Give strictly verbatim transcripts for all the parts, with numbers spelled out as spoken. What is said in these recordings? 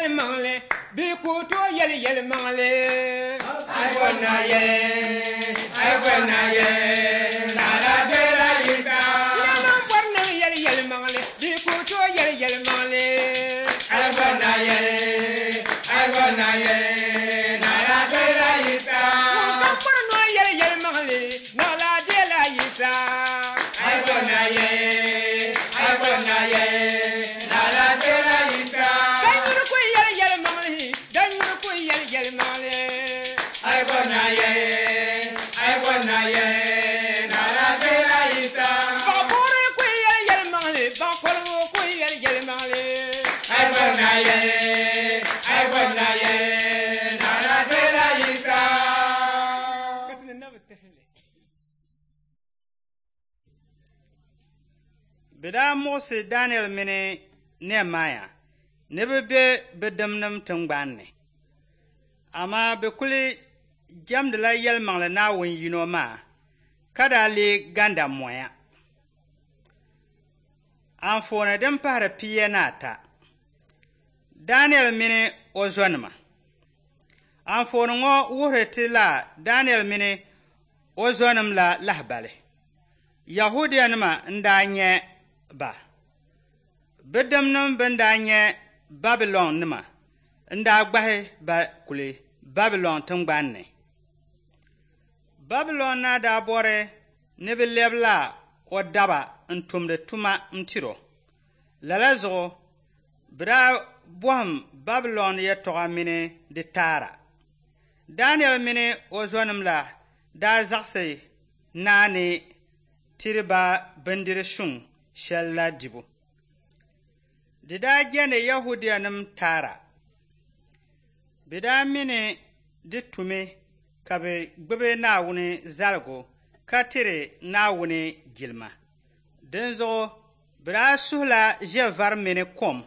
Yɛlimaŋli, bɛ ku tooi yɛli yɛlimaŋli. Ai bɔri na yɛli, ai bɔri na yɛli, Naa dela Yisa. Nɛma bɔri niŋ yɛli yɛlimaŋli, bɛ ku tooi yɛli yɛlimaŋli. Ai bɔri na yɛli, ai bɔri na yɛli, Naa dela Yisa. Ŋun kam bɔri ni o yɛli yɛlimaŋli, Naa dela Yisa. Ai bɔri na yɛli, ai bɔri na yɛli, Naa dela Yisa. Danyuri ku yɛli yɛlimaŋli, danyuri ku yɛli yɛlimaŋli. Ai bɔri na yɛli, ai bɔri na yɛli, Naa dela Yisa. Baɣakɔri ku yɛli yɛlimaŋli, baɣakɔrigu ku yɛli yɛlimaŋli. Ai bɔri na yɛli, ai bɔri na yɛli, Naa dela Yisa. Ka ti ni na bi tahili. Bɛ daa muɣisi Daniel mini Nehemaya ni bɛ be bɛ dimnim tiŋgbani ni. Amaa bɛ kuli jɛmdila yɛlimaŋli Naawuni yino maa ka daa lee ganda moya. Anfooni din pahiri pia ni ata. Daniel mini o zonima. Anfooni ŋɔ wuhiri ti la Daniel mini o zonim la lahibali. Yahudianima n-daa nyɛ ba. Bɛ dimnim bɛn daa nyɛ Babilɔnnima n-daa gbahi ba kuli Babilɔn tiŋgbani ni. Babilɔn naa daa bɔri ni bɛ lɛbila o daba n-tumdi tuma n-tiri o. Lala zuɣu bɛ daa bɔhim Babilɔn yɛtɔɣa mini di taara. Daniel mini o zonim la daa zaɣisi naa ni tiri ba bindiri suŋ shɛli la dibu. Di daa jɛndi Yahudianim taara. Bɛ daa mi ni di tumi ka bɛ gbubi Naawuni zaligu ka tiri Naawuni jilima. Dinzuɣu bɛ daa suhila ʒɛvari mini kom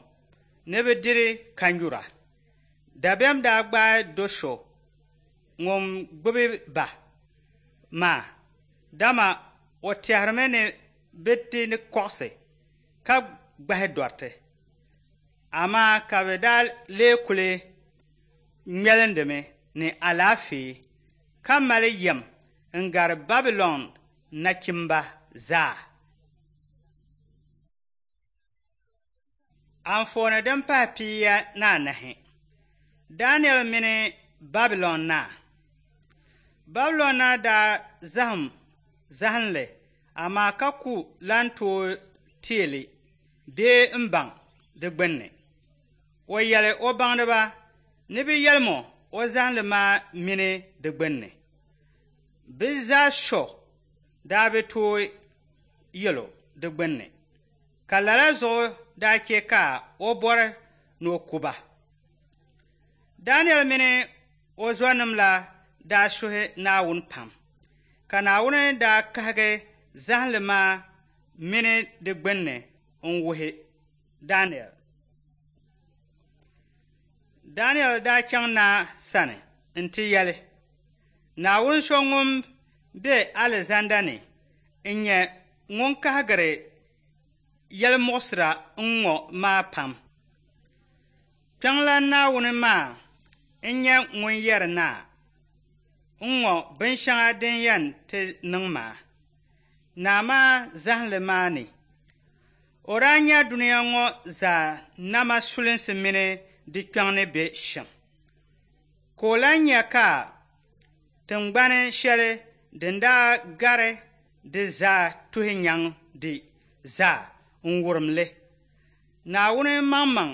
ni bɛ diri ka nyura. Dabiɛm daa gbaai do so ŋun gbubi ba maa, dama o tɛhirimi ni bɛ ti ni kɔɣisi ka gbahi dɔriti. Amaa ka bɛ daa lee kuli ŋmɛlindimi ni alaafee ka mali yɛm n-gari Babilɔn nachimba zaa. Anfooni din pahi pia ni anahi. Daniel mini Babilɔn naa. Babilɔn naa daa zahim zahinli amaa ka ku lan tooi teei li bee m-baŋ di gbunni. O yɛli o baŋdiba ni bɛ yɛlim o o zahinli maa mini di gbunni. Bɛ zaa so daa bi tooi yɛl o di gbunni, ka lala zuɣu daa chɛ ka o bɔri ni o ku ba. Daniel mini o zɔnim la daa suhi Naawuni pam, ka Naawuni daa kahigi zahinli maa mini di gbunni n-wuhi Daniel. Daniel daa chaŋ naa sani nti yɛli, Naawuni so ŋun be alizanda ni n-nyɛ ŋun kahigiri yɛlimuɣisira n-ŋɔ maa pam. Kpiɔŋlan Naawuni maa n-nyɛ ŋun yɛri naa n-ŋɔ binshɛŋa din yɛn ti niŋ maa. Naa maa zahinli maa ni, o daa nya dunia ŋɔ zaa nama sulinsi mini di kpiɔŋ ni be shɛm. Ka o lan nya ka tiŋgbani shɛli din daa gari di zaa tuhi nyaŋ di zaa n-wurim li. Naawuni maŋmaŋ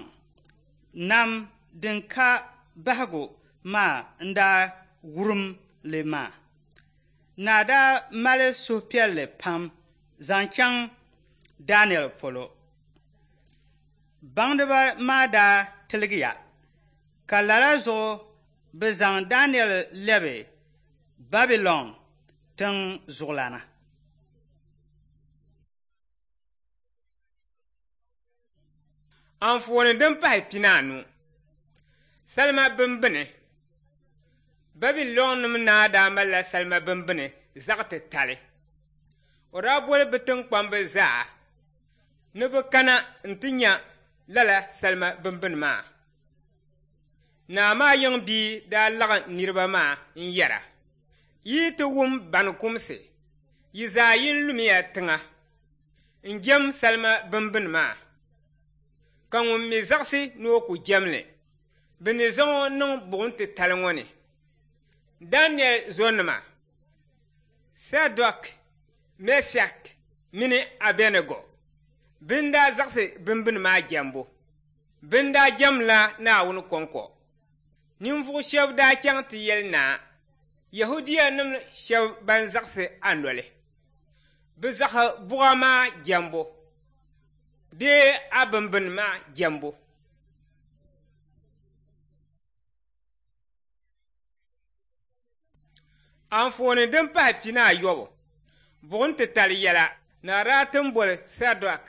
nam din ka bahigu maa n-daa wurim li maa. Naa daa mali suhupiɛlli pam zaŋ chaŋ Daniel polo. Baŋdiba maa daa tiligiya, ka lala zuɣu bɛ zaŋ Daniel lɛbi Babilɔn tiŋ zuɣulana. Anfooni din pahi pinaanu. Salima bimbini. Babilɔnnima naa daa malila salima bimbini zaɣ titali. O daa boli bɛ tiŋkpamba zaa ni bɛ kana nti nya lala salima bimbini maa. Naa maa yiŋ bia daa laɣim niriba maa n-yɛra, yi ti wum bani kumsi, yi zaa yin lumiya tiŋa n-jɛm salima bimbini maa, ka ŋun mi zaɣisi ni o ku jɛm li, bɛ ni zaŋ o niŋ buɣim titali ŋɔ ni. Daniel zonima, Sadok, Mɛshak mini Abɛnɛgo bɛn daa zaɣisi bimbini maa jɛmbu. Bɛn daa jɛmla Naawuni kɔŋko. Ninvuɣ shɛba daa chaŋ ti yɛli naa, Yɛhudianim shɛba ban zaɣisi a noli. Bɛ zaɣisi buɣa maa jɛmbu bee a bimbini maa jɛmbu. Anfooni din pahi pinaayɔbu, buɣim titali yɛla naa daa ti boli Sadok,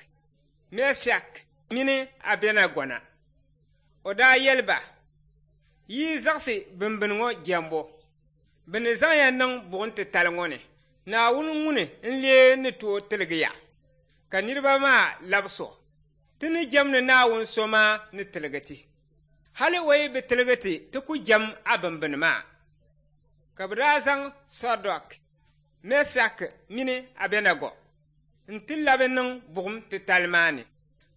Mɛshak mini Abɛnɛgo na. O daa yɛli ba, yi zaɣisi bimbini ŋɔ jɛmbu, bɛ ni zaŋ ya niŋ buɣim titali ŋɔ ni. Naawuni ŋuni n-lee ni tooi tiligi ya? Ka niriba maa labisi o, ti ni jɛmdi Naawuni so maa ni tiligi ti. Hali o yi bi tiligi ti, ti ku jɛm a bimbini maa. Ka bɛ daa zaŋ Sadok, Mɛshak mini Abɛnɛgo nti labi niŋ buɣim titali maa ni,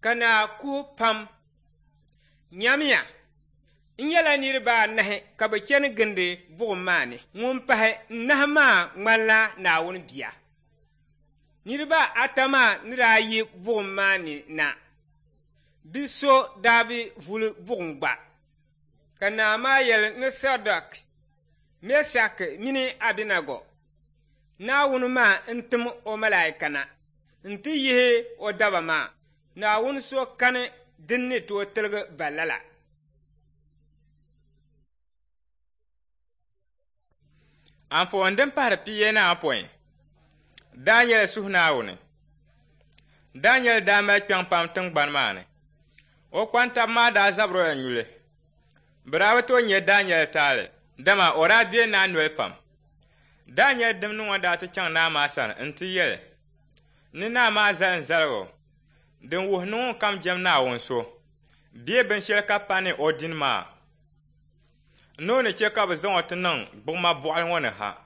ka naa kuhi pam. Nyamiya, n nyɛla niriba anahi ka bɛ chani gindi buɣim maa ni. Ŋun pahi n-nahi maa ŋmanila Naawuni bia. Niriba ata maa ni daa yi buɣim maa ni na, bɛ so daa bi vuli buɣim gba. Ka naa maa yɛli ni Sadok, Mɛshak mini Abɛnɛgo, Naawuni maa n-tim o malaika na nti yihi o daba maa. Naawuni so kani din ni tooi tiligi ba lala. Anfooni din pahiri pia ni apɔin, Daniel suhu Naawuni. Daniel daa mali kpiɔŋ pam tiŋgbani maa ni. O kpantaba maa daa zabiri o la nyuli. Bɛ daa bi tooi nya Daniel taali, dama o daa deei naa noli pam. Daniel dimnim ŋɔ daa ti chaŋ naa maa sani nti yɛli ni naa maa zali n-zaligu din wuhi ni ŋunkam jɛm Naawuni so bee binshɛli ka pa ni o dini maa, ni o ni che ka bɛ zaŋ o ti niŋ gbuɣima bɔɣili ŋɔ ni ha.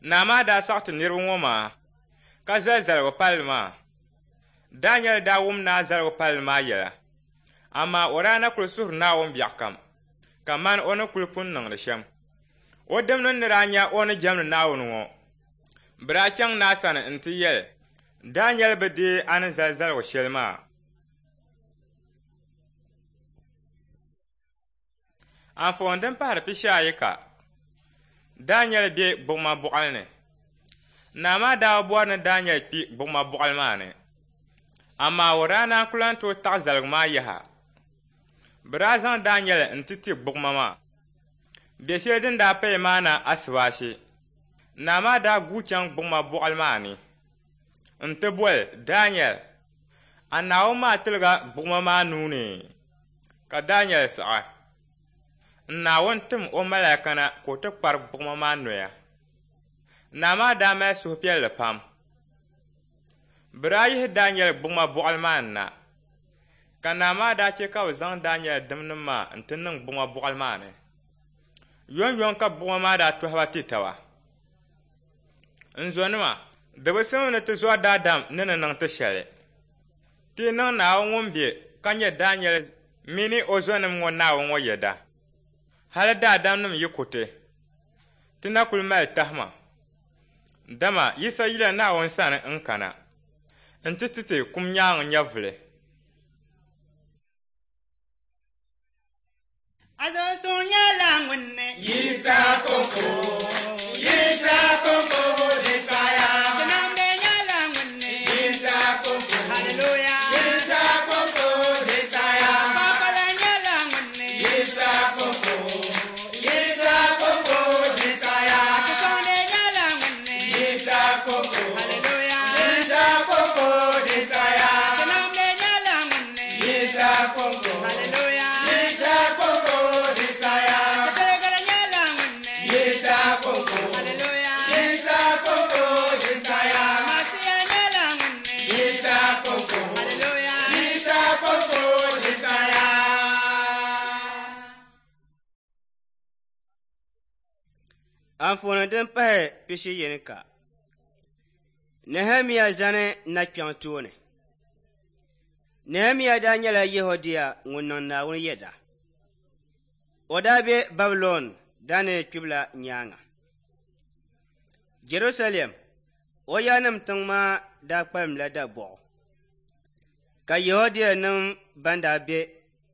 Naa maa daa saɣi ti niriba ŋɔ maa ka zali zaligu palli maa. Daniel daa wum naa zaligu palli maa yɛla, amaa o daa na kuli suhiri Naawuni biɛɣu kam kamani o ni kuli pun niŋdi shɛm. O dimnim ni daa nya o ni jɛmdi Naawuni ŋɔ, bɛ daa chaŋ naa sani nti yɛli, Daniel bi deei a ni zali zaligu shɛli maa. Anfooni din pahiri pishi ayi ka Daniel be gbuɣima bɔɣili ni. Naa maa daa bɔri ni Daniel kpi gbuɣima bɔɣili maa ni, amaa o daa naan ku lan tooi taɣi zaligu maa yaha. Bɛ daa zaŋ Daniel nti ti gbuɣima maa. Bɛ shɛli din daa paya maa na asibaashi, naa maa daa guui chaŋ gbuɣima bɔɣili maa ni nti boli Daniel, a Naawuni maa tiliga gbuɣima maa nuu ni. Ka Daniel saɣi, n Naawuni tim o malaika na ka o ti kpari gbuɣima maa noya. Naa maa daa mali suhupiɛlli pam. Bɛ daa yihi Daniel gbuɣima bɔɣili maa ni na, ka naa maa daa che ka bɛ zaŋ Daniel dimnim maa nti niŋ gbuɣima bɔɣili maa ni. Yomyom ka gbuɣima maa daa tɔhi ba ti taba. N zonima, di bi simdi ni ti zɔri daadam ni ni niŋ ti shɛli. Ti niŋ Naawuni ŋun be ka nyɛ Daniel mini o zonim ŋɔ Naawuni ŋɔ yɛda. Hali daadamnim yi ku ti, ti na kuli mali tahima. Dama Yisa yila Naawuni sani n-kana nti ti ti kum nyaaŋa nyɛvuli. Azosuŋ nyɛla ŋun ni Yisa kɔŋko, Yisa kɔŋko di saya. Tinamdi nyɛla ŋun ni Yisa kɔŋko, Hallelujah. Yisa kɔŋko di saya. Kpakpala nyɛla ŋun ni Yisa kɔŋko, Yisa kɔŋko di saya. Atisɔŋdi nyɛla ŋun ni Yisa kɔŋko, Hallelujah. Yisa kɔŋko di saya. Tinamdi nyɛla ŋun ni Yisa kɔŋko, Hallelujah. Yisa kɔŋko di saya. Titirigiri nyɛla ŋun ni Yisa Anfooni din pahi pishi yini ka Nehemia zani nakpɛŋ tooni. Nehemia daa nyɛla Yehudia ŋun niŋ Naawuni yɛda. O daa be Babilɔn Daniɛl kpibila nyaaŋa. Jerusalem, o yaannim tiŋ maa daa kpalimla dabɔɣu, ka Yehudianim ban daa be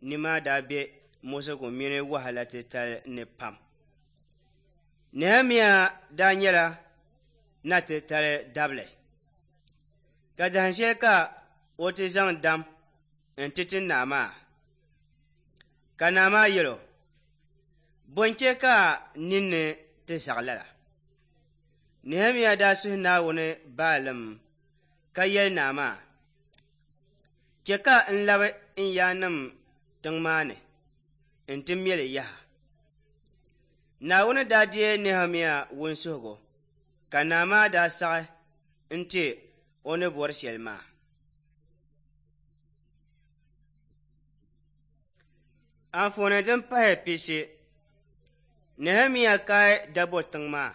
ni maa daa be muɣisigu mini wahala titali ni pam. Nehemia daa nyɛla na titali dabili, ka dahin shɛli ka o ti zaŋ dam n-ti ti naa maa. Ka naa maa yɛl o, Bɔ n-chɛ ka ninni ti zaɣ lala? Nehemia daa suhi Naawuni baalim ka yɛli naa maa, Chɛ ka n labi n yaannim tiŋ maa ni nti me li yaha. Naawuni daa deei Nehemia wunsuhigu, ka naa maa daa saɣi n-ti o ni bɔri shɛli maa. Anfooni din pahi pishi Nehemia kaai dabo tiŋ maa.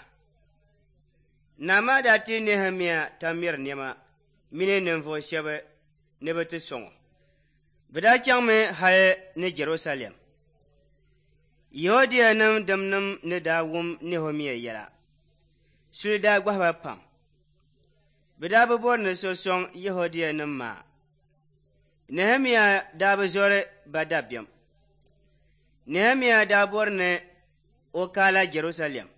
Naa maa daa ti Nehemia tamir nɛma mini ninvuɣ shɛba ni bɛ ti sɔŋ o. Bɛ daa chaŋmi hali ni Jɛrusalɛm. Yehudianim dimnim ni daa wum Nehemia yɛla, suli daa gbahi ba pam. Bɛ daa bi bɔri ni so sɔŋ Yehudianim maa. Nehemia daa bi zɔri ba dabiɛm. Nehemia daa bɔri ni o kaala Jɛrusalɛm.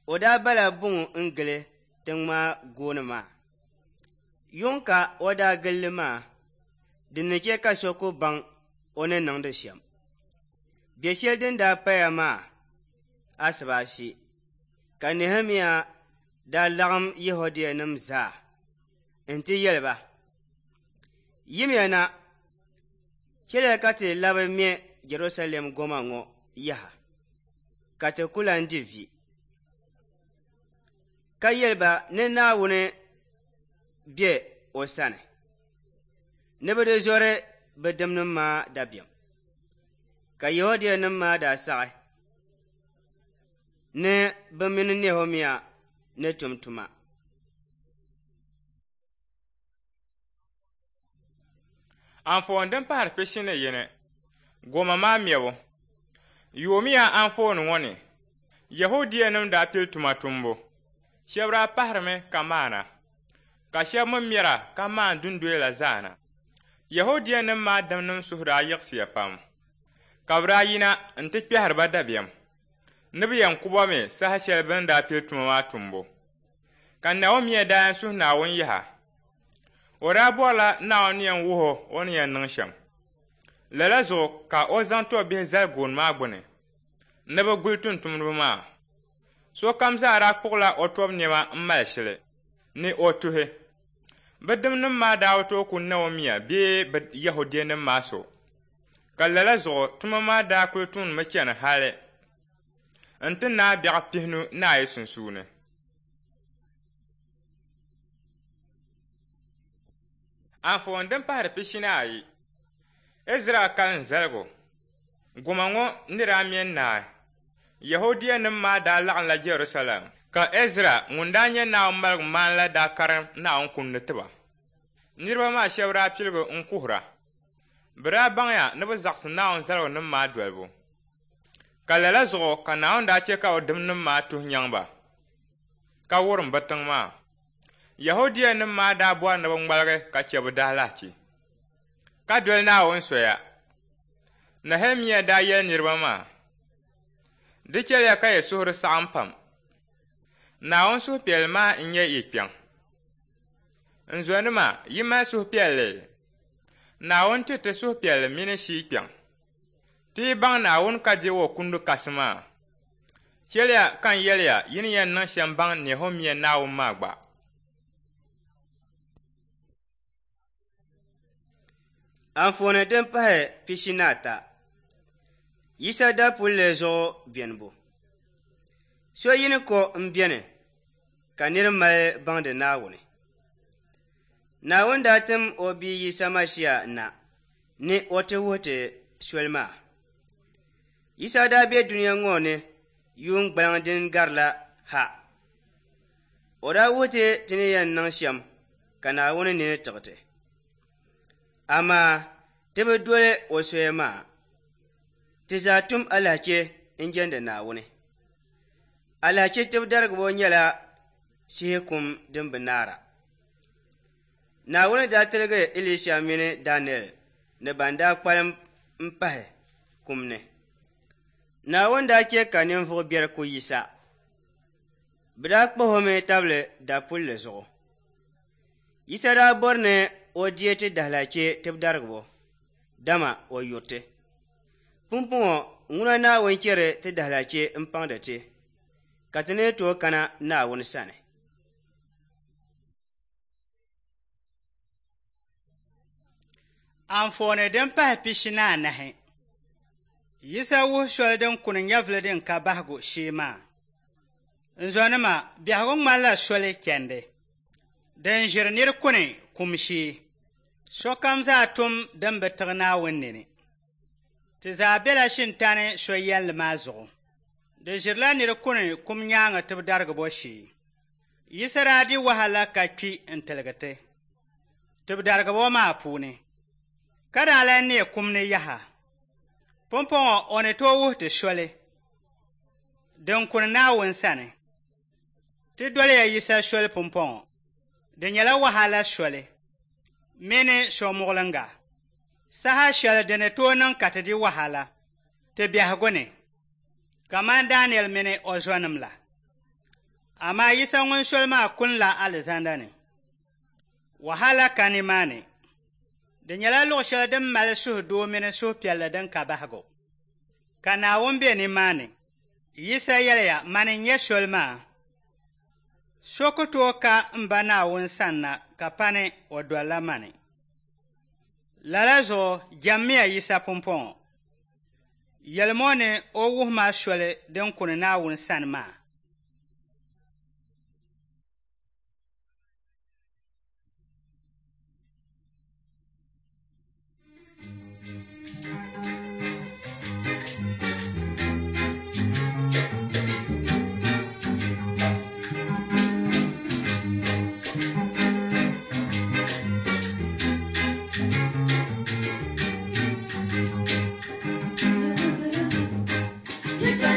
O daa bala buŋ n-gili tiŋ maa gooni maa. Yuŋ ka o daa gili li maa, din ni chɛ ka so ku baŋ o ni niŋdi shɛm. Biɛ shɛli din daa paya maa asibaasi, ka Nehemia daa laɣim Yehudianim zaa nti yɛli ba, Yimiya na, chɛliya ka ti labi me Jɛrusalɛm goma ŋɔ yaha, ka ti ku lan di vi. Ka yɛli ba ni Naawuni be o sani, ni bɛ di zɔri bɛ dimnim maa dabiɛm. Ka Yehudianim maa daa saɣi ni bɛ mini Nehemia ni tum tuma. Anfooni din pahiri pishi ni yini, goma maa mɛbu. Yoomiya anfooni ŋɔ ni, Yehudianim daa pili tuma tumbu. Shɛba daa pahirimi ka maana, ka shɛba mi mɛra ka maan dundoya la zaana. Yehudianim maa dimnim suhu daa yiɣisiya pam, ka bɛ daa yina nti kpɛhiri ba dabiɛm ni bɛ yɛn ku ba mi saha shɛli bɛ ni daa pili tuma maa tumbu. Ka Nehemia daa yɛn suhi Naawuni yaha. O daa bɔrila Naawuni ni yɛn wuhi o o ni yɛn niŋ shɛm. Lala zuɣu ka o zaŋ tɔbbihi zali gooni maa gbuni ni bɛ guli tumtumdiba maa. Sokam zaa daa kpuɣila o tɔbu nɛma m-mali shili ni o tuhi. Bɛ dimnim maa daa bi tooi ku Nehemia bee bɛ Yɛhudianim maa so. Ka lala zuɣu tuma maa daa kuli tumdimi chani hali nti naai biɛɣu pihinu ni ayi sunsuuni. Anfooni din pahiri pishi ni ayi, Ɛzra kalim zaligu. Goma ŋɔ ni daa me n-naai, Yehudianim maa daa laɣimla Jɛrusalɛm, ka Ɛzra ŋun daa nyɛ Naawuni maligumaana la daa karim Naawuni kundi ti ba. Niriba maa shɛba daa piligi n-kuhira. Bɛ daa baŋya ni bɛ zaɣisi Naawuni zaligunim maa dolibu. Ka lala zuɣu ka Naawuni daa chɛ ka bɛ dimnim maa tuhi nyaŋ ba, ka wurim bɛ tiŋ maa. Yehudianim maa daa bɔri ni bɛ ŋmaligi ka chɛ bɛ daalahichi, ka doli Naawuni soya. Nehemia daa yɛli niriba maa, Di chɛliya ka yi suhuri saɣim pam. Naawuni suhupiɛlli maa n-nyɛ yi kpiɔŋ. N zɔnima, yi mali suhupiɛlli? Naawuni ti ti suhupiɛlli mini shii kpiɔŋ. Ti yi baŋ Naawuni ka deei o kundi kasi maa. Chɛliya ka n yɛliya yi ni yɛn niŋ shɛm baŋ Nehemia Naawuni maa gba. Anfooni din pahi pishi ni ata, Yisa dapulli zuɣu benibu. So yini ko m-beni ka nir mali baŋdi Naawuni. Naawuni daa tim o bia Yisa Masia na ni o ti wuhi ti soli maa. Yisa daa be dunia ŋɔ ni Yuun gbaliŋ din garila ha. O daa wuhi ti ti ni yɛn niŋ shɛm ka Naawuni nini tiɣi ti. Amaa ti bi doli o soya maa. Ti zaa tum alahichi n-jɛndi Naawuni. Alahichi tibidarigibo nyɛla shihi kum din bi naara. Naawuni daa tiligi Elisha mini Daniel ni ban daa kpalim m-pahi kum ni. Naawuni daa che ka ninvuɣ biɛri ku Yisa. Bɛ daa kpahi o mi tabili dapulli zuɣu. Yisa daa bɔri ni o deei ti dahalhachi tibidarigibo, dama o yuri ti. Pumpɔŋɔ ŋuna Naawuni chɛri ti dahalhachi m-paŋdi ti, ka ti ni tooi kana Naawuni sani. Anfooni din pahi pishi ni anahi. Yisa wuhi soli din kuni nyɛvuli din ka bahigu shee maa. N zɔnima, biɛhigu ŋmanila soli chandi din ʒiri nir kuni kum shee. Sokam zaa tum din bi tiɣi Naawuni nini. Ti zaa bela shintani so yɛlli maa zuɣu. Di ʒirila nir kuni kum nyaaŋa tibidarigibo shee. Yisa daa di wahala ka kpi n-tiligi ti tibidarigibo maa puuni, ka daa lan neei kum ni yaha. Pumpɔŋɔ o ni tooi wuhi ti soli din kuni Naawuni sani. Ti doliya Yisa soli pumpɔŋɔ. Di nyɛla wahala soli mini somuɣiliŋga. Saha shɛli di ni tooi niŋ ka ti di wahala ti biɛhigu ni, kamani Daniel mini o zɔnim la. Amaa Yisa ŋun soli maa kunila alizanda ni. Wahala ka nimaani. Di nyɛla luɣ shɛli din mali suhudoo mini suhupiɛlli din ka bahigu, ka Naawuni be nimaani. Yisa yɛliya, mani n-nyɛ soli maa. So ku tooi ka m ba Naawuni sanna ka pani o dolila mani. Lala zuɣu jɛmmiya Yisa pumpɔŋɔ. Yɛlimi o ni o wuhi ma soli din kuni Naawuni sani maa. Yisa